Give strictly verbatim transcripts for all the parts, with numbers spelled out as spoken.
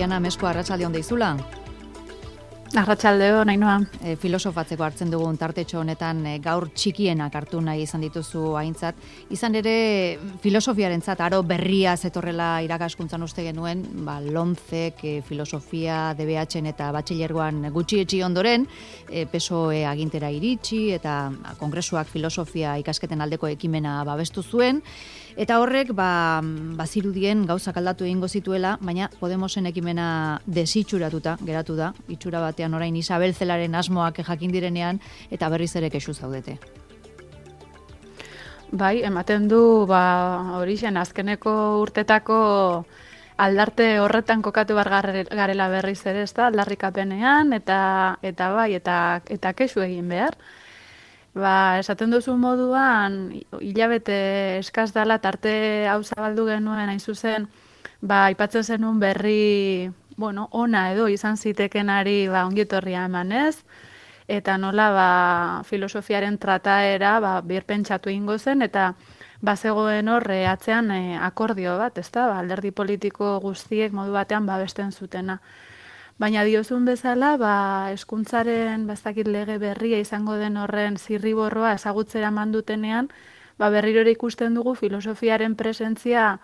Oiana Mesko, arratsalde on deizula. Arratsaldeo, Nainoa. E, filosofatzeko hartzen dugun tartetxo honetan e, gaur txikienak hartu nahi izan dituzu aintzat. Izan ere, filosofiarentzat aro berria zetorrela irakaskuntzan uste genuen, ba, Lontzek, e, filosofia, D B H-en eta batxilergoan gutxietxi ondoren, e, P S O E agintera iritsi eta kongresuak filosofia ikasketen aldeko ekimena babestu zuen. Eta horrek, ba, bazirudien gauzak aldatu egingo zituela, baina Podemosen ekimena desitxuratuta geratu da, itxura batean orain Isabel Zelaren asmoak jakin direnean, eta berriz ere kexu zaudete. Bai, ematen du, ba, horixen, azkeneko urtetako aldarte horretan kokatu bar garela berriz ere, ez da, aldarrikapenean, eta, eta bai, eta, eta kexu egin behar. Ba, esaten duzu moduan, hilabete eskaz dala, tarte hau zabaldu genuen, hain zuzen, ba, aipatzen zenun berri, bueno, ona edo izan zitekenari, ba, ongietorria emanez, eta nola, ba, filosofiaren trataera, ba, birpentsatu ingo zen, eta bazegoen horre atzean e, akordio bat, ez da, ba, alderdi politiko guztiek modu batean babesten zutena. Baina diozun bezala, ba, hezkuntzaren bastakit lege berria izango den horren zirriborroa ezagutzera mandutenean, ba, berriro ere ikusten dugu filosofiaren presentzia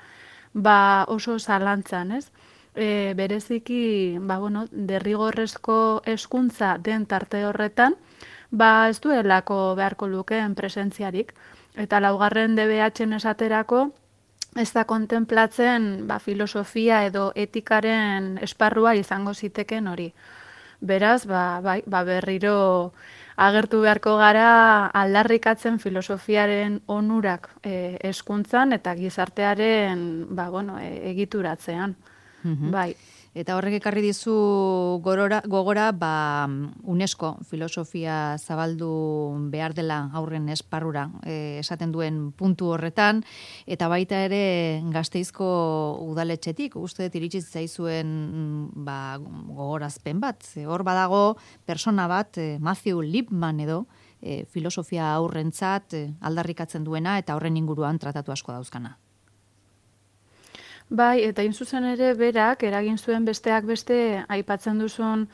ba, oso zalantzan, ez? E, bereziki, ba, bueno, derrigorrezko hezkuntza den tarte horretan, ba, ez duelako beharko lukeen presentziarik. Eta laugarren D B H-en esaterako, ez da kontemplatzen ba, filosofia edo etikaren esparrua izango ziteken hori. Beraz, ba, bai, ba, berriro agertu beharko gara aldarrikatzen filosofiaren onurak e, hezkuntzan eta gizartearen ba, bueno, e, egituratzean. Mm-hmm. Bai. Eta horrek ekarri dizu gorora, gogora ba, UNESCO filosofia zabaldu behar dela aurren esparrura e, esaten duen puntu horretan, eta baita ere Gasteizko udaletxetik, uste dut iritsi zaizuen ba, gogorazpen bat. Hor badago persona bat, e, Matthew Lipman edo, e, filosofia aurrentzat e, aldarrikatzen duena eta horren inguruan tratatu asko dauzkana. Bai, eta inzuzen ere berak eragin zuen besteak beste aipatzen duzun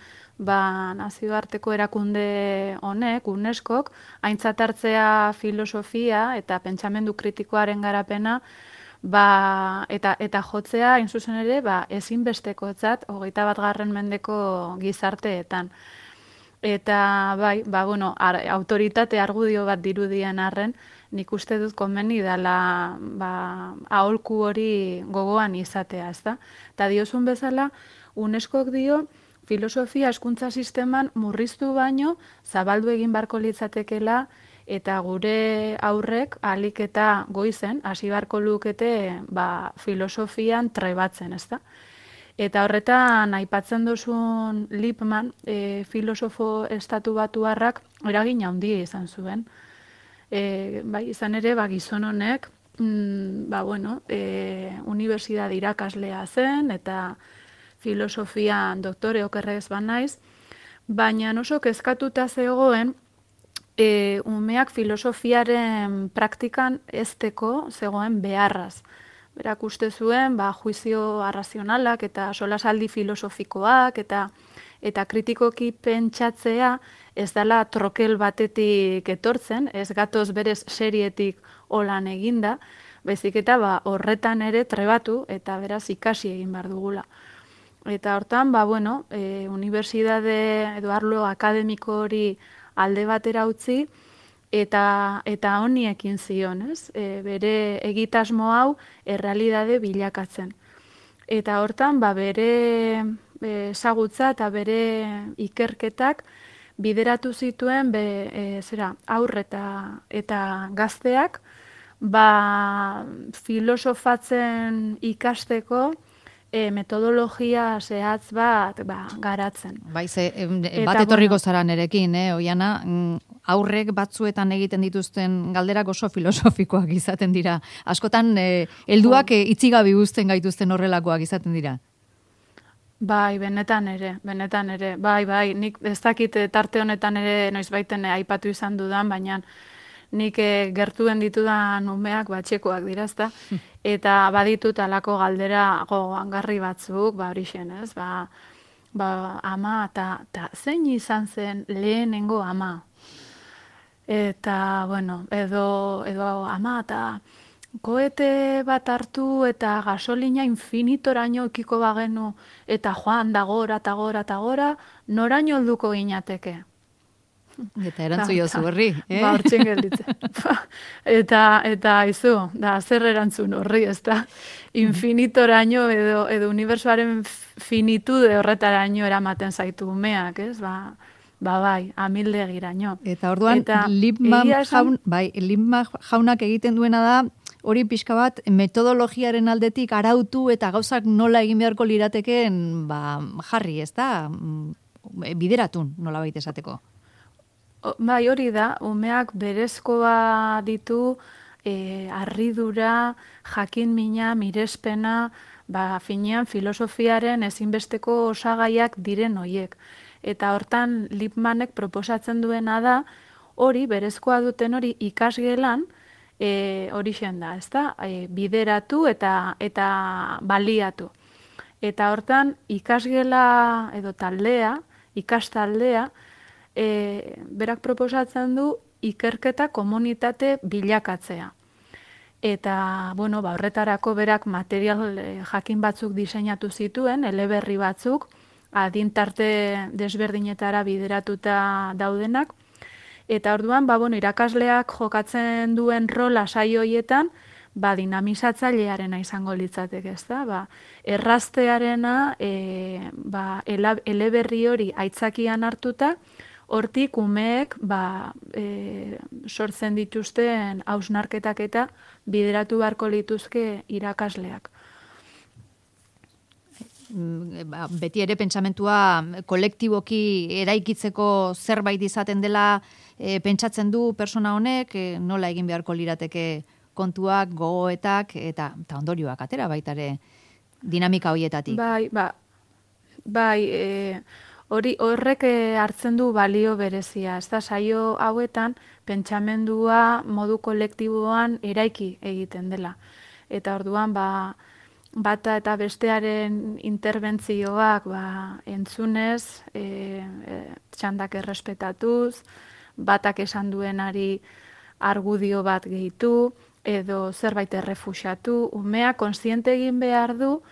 ba, nazioarteko erakunde honek, UNESCOk, aintzat hartzea filosofia eta pentsamendu kritikoaren garapena ba, eta, eta jotzea inzuzen ere ba, ezinbestekotzat hogeita bat garren mendeko gizarteetan. Eta bai, ba, bueno, ar, autoritate argudio bat dirudien arren, nik uste dut konbeni dela ba, aholku hori gogoan izatea, ez da? Eta diozun bezala, UNESCOk dio filosofia hezkuntza sisteman murriztu baino zabaldu egin barko litzatekela eta gure aurrek ahalik eta goizen hasi barko lukete ba, filosofian trebatzen, ez da? Eta horretan aipatzen duzun Lipman, e, filosofo estatu batuarrak eragin handia izan zuen. E, bai, izan ere, ba, gizon honek, mm, ba, bueno, e, unibertsitate irakaslea zen, eta filosofian doktore okerrez banaiz, baina oso kezkatuta zegoen, e, umeak filosofiaren praktikan ezteko zegoen beharraz. Berak uste zuen, ba, juizio arrazionalak eta solasaldi filosofikoak eta eta kritikoki pentsatzea ez dela trokel batetik etortzen, ez gatoz berez serietik holan eginda, baizik eta ba, horretan ere trebatu eta beraz ikasi egin behar dugula. Eta hortan, ba, bueno, e, unibertsitate edo arlo akademiko hori alde batera utzi, eta eta honi ekin zion, ez? E, bere egitasmo hau errealitate bilakatzen. Eta hortan, ba, bere ezagutza eta bere ikerketak bideratu zituen be, e, zera, aurre eta, eta gazteak ba, filosofatzen ikasteko e, metodologia zehatz bat ba, garatzen. Bai, ze, e, bat etorriko bueno, zara nerekin, eh, Oiana, aurrek batzuetan egiten dituzten galderak oso filosofikoak izaten dira. Askotan, e, helduak e, itzigabi uzten gaituzten horrelakoak izaten dira. Bai, benetan ere, benetan ere. Bai, bai, nik ez dakit tarte honetan ere noizbaiten aipatu izan dudan, baina nik e, gertuen ditudan umeak batxekoak dira, ezta? Eta baditut alako galdera goangarri batzuk, ba hori ez, ba, ba ama, eta ta, zein izan zen lehenengo ama? Eta, bueno, edo, edo ama, eta koete bat hartu eta gasolina infinitoraino ikiko bagenu eta joan da gora eta gora eta gora, noraino helduko ginateke. Eta erantzu jozu horri, eh? Ba, hortxen gelditzen. eta, eta izu, da, zer erantzun horri, ez da, infinitoraino edo, edo unibersoaren finitude horretaraino eramaten zaitu umeak, ez, ba, ba bai, amildegiraino. Eta orduan, Lippmann jaun, bai, Lippmann jaunak egiten duena da, hori pixka bat metodologiaren aldetik arautu eta gauzak nola egin beharko lirateken ba, jarri, ez da? Bideratun, nola baita esateko. O, bai, hori da, umeak berezkoa ditu e, arridura, jakin mina, mirespena, ba, finean filosofiaren ezinbesteko osagaiak diren hoiek. Eta hortan Lippmannek proposatzen duena da, hori, berezkoa duten hori ikasgelan, E, hori da, ez da? E, bideratu eta eta baliatu. Eta hortan ikasgela edo taldea, ikastaldea, e, berak proposatzen du ikerketa komunitate bilakatzea. Eta, bueno, ba, horretarako berak material e, jakin batzuk diseinatu zituen, eleberri batzuk, adintarte desberdinetara bideratuta daudenak, eta orduan, ba, bueno, irakasleak jokatzen duen rola saio hoietan, ba, dinamizatzailearena izango litzateke, ez da? Ba, erraztearena, e, ba, eleberri hori aitzakian hartuta, hortik umeek ba, e, sortzen dituzten hausnarketak eta bideratu beharko lituzke irakasleak. Beti ere pentsamentua kolektiboki eraikitzeko zerbait izaten dela e, pentsatzen du persona honek, e, nola egin beharko lirateke kontuak, gogoetak eta, eta ondorioak atera baitare dinamika hoietatik. Bai, ba, bai, e, hori horrek hartzen du balio berezia. Ez da, saio hauetan pentsamendua modu kolektiboan eraiki egiten dela. Eta orduan, ba, bata eta bestearen interbentzioak ba, entzunez, e, e, txandak errespetatuz, batak esan duenari argudio bat gehitu, edo zerbait errefuxatu, umea kontziente egin behar du,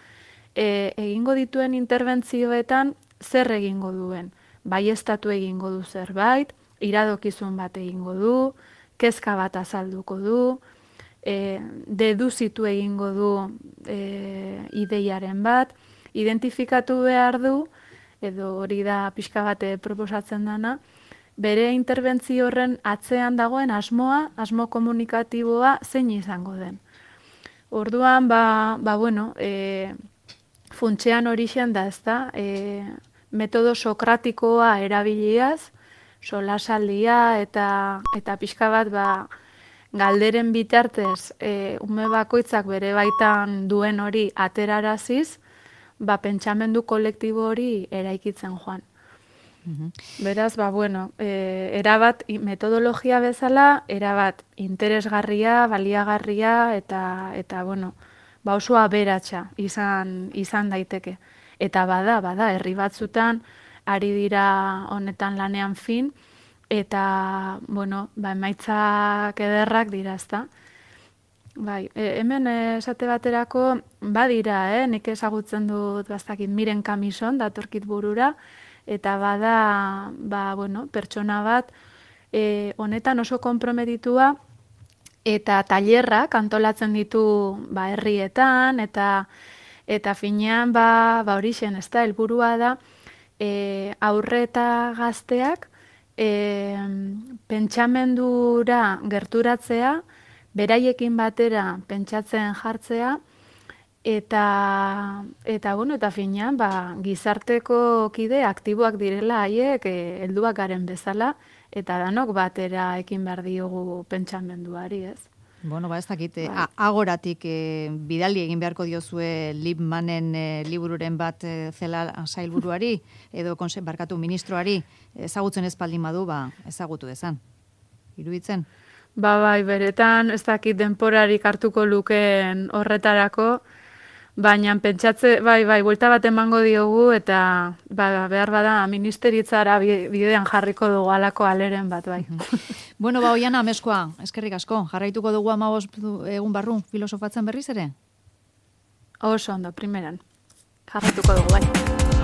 e, egingo dituen interbentzioetan zer egingo duen. Baieztatu egingo du zerbait, iradokizun bat egingo du, kezka bat azalduko du, E, deduzitu egingo du e, ideiaren bat, identifikatu behar du, edo hori da pixka bate proposatzen dana, bere interbentzio horren atzean dagoen asmoa, asmo komunikatiboa zein izango den. Orduan, ba, ba bueno, e, funtsean horixen da, ez da, e, metodo sokratikoa erabiliaz, solasaldia eta, eta pixka bat, ba, galderen bitartez, e, ume bakoitzak bere baitan duen hori ateraraziz, ba, pentsamendu kolektibo hori eraikitzen joan. Mm-hmm. Beraz, ba, bueno, e, erabat metodologia bezala, erabat interesgarria, baliagarria, eta, eta bueno, ba, oso aberatsa izan, izan daiteke. Eta bada, bada, herri batzutan, ari dira honetan lanean fin, eta, bueno, ba, emaitzak ederrak dira, ezta. Bai, e, hemen esate baterako, badira, eh? Nik ezagutzen dut bastakit Miren Kamison, datorkit burura, eta bada, ba, bueno, pertsona bat, e, honetan oso konprometitua, eta tailerrak antolatzen ditu, ba, herrietan, eta, eta finean, ba, ba horixen, ezta, helburua da, e, aurre eta gazteak, E, pentsamendura gerturatzea, beraiekin batera pentsatzen jartzea, eta, eta, bueno, eta finean, ba, gizarteko kide aktiboak direla haiek e, helduak garen bezala, eta danok batera ekin behar diogu pentsamenduari, ez? Bueno, ba, ez dakit, bai. Agoratik e, bidali egin beharko diozue Lippmannen e, libururen bat e, zela sailburuari, edo konse, barkatu ministroari, ezagutzen ez baldin badu, ba, ezagutu dezan. Iruditzen? Ba, bai, beretan, ez dakit denporarik hartuko lukeen horretarako, baina pentsatze, bai, bai, buelta bat emango diogu, eta ba, behar bada ministeritzara bidean jarriko dugu alako aleren bat, bai. Bueno, ba, Oiana, ameskoa, eskerrik asko, jarraituko dugu hamabost egun barru filosofatzen berriz ere? Oso ondo, primeran. Jarraituko dugu, bai.